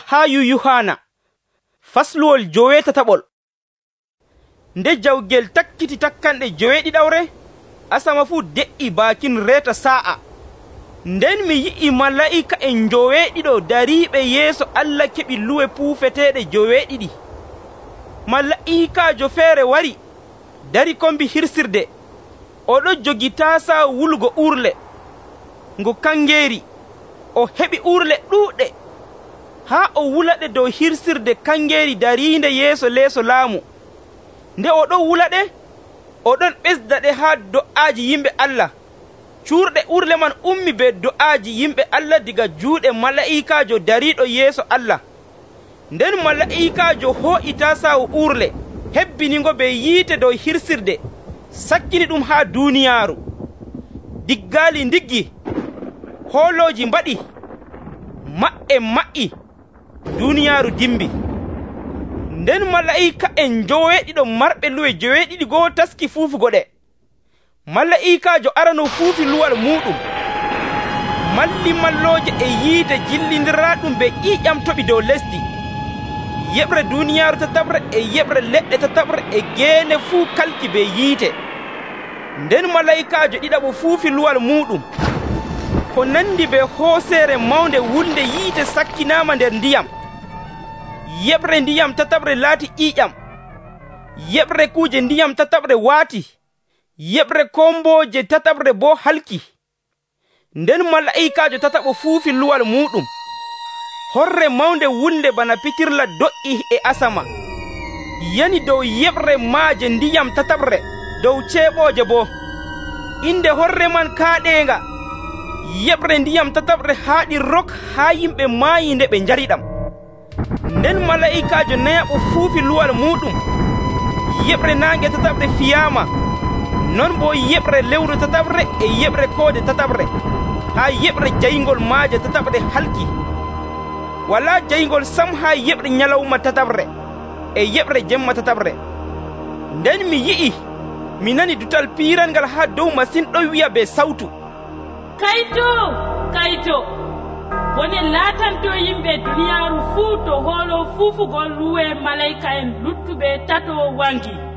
haa Yuhana fasluwol 17. Nde jawgel takkiti takkanɗe 7 asama fuu de'ii baakin reeta saa'a. Nden mi yi'i malaa'ika'en 7 dariiɓe yeeso Allah keɓi luwe puufeteeɗe 7. Malaa'ikaajo feere wari dari kombi hirsirde. Oɗon jogi taasaawo wulugo uurle ngo kangeeri. O heɓi uurle ɗuuɗɗe haa o wulaɗe dow hirsirde kangeeri dariinde yeeso leeso laamu. Nde oɗon wulaɗe, oɗon ɓesdaɗe haa do'aaji yimɓe Allah. Cuurɗe uurle man ummi be do'aaji yimɓe Allah diga juuɗe malaa'ikaajo dariiɗo yeeso Allah. Nden malaa'ikaajo hoo'i taasaawo uurle, hebbinigo be yiite dow hirsirde, sakkini ɗum haa duuniyaaru. Diggaali ndiggi, hoolooji mbaɗi, maɓɓe maƴƴi, duuniyaaru dimbi. Nden malaa'ika'en 7 marɓe luwe 7 go'o taski fuufugo ɗe. Malaa'ikaajo arano fuufi luwal muuɗum. Mallimallooje e yiite jillindiraaɗum be ƴiiƴam toɓi dow lesdi. Yeɓre duuniyaaru tatabre e yeɓre leɗɗe tatabre e geene fuu kalki be yiite. Nden malaa'ikaajo ɗiɗaɓo fuufi luwal muuɗum. Ko nandi be hooseere mawnde wulnde yiite sakkinaama nder ndiyam. Yeɓre ndiyam tatabre laati ƴiiƴam. Yeɓre kuuje ndiyam tatabre waati. Yeɓre kombooje tatabre boo halki. Nden malaa'ikaajo tataɓo fuufi luwal muuɗum. Horre mawnde wulnde bana pitirla do'i e asama, yani dow yeɓre maaje ndiyam tatabre, dow ceeɓooje boo. Inde horre man kaaɗeenga. Yeɓre ndiyam tatabre haaɗi rok haa yimɓe maayi nde ɓe njariɗam. Nden malaa'ikaajo nayaɓo fuufi luwal muuɗum. Yeɓre naange tatabre fiyaama, non boo yeɓre lewru tatabre e yeɓre koode tatabre, haa yeɓre jayngol maaje tatabre halki. Walaa jayngol sam haa yeɓre nyalawma tatabre e yeɓre jemma tatabre. Nden mi yi'i, mi nani dutal piirangal haa dow masin ɗon wi'a be sawtu: Kayto, kayto, woni laatanto yimɓe duniyaaru fuu to hoolo fuufugol luwe malayika'en luttuɓe tato wangi.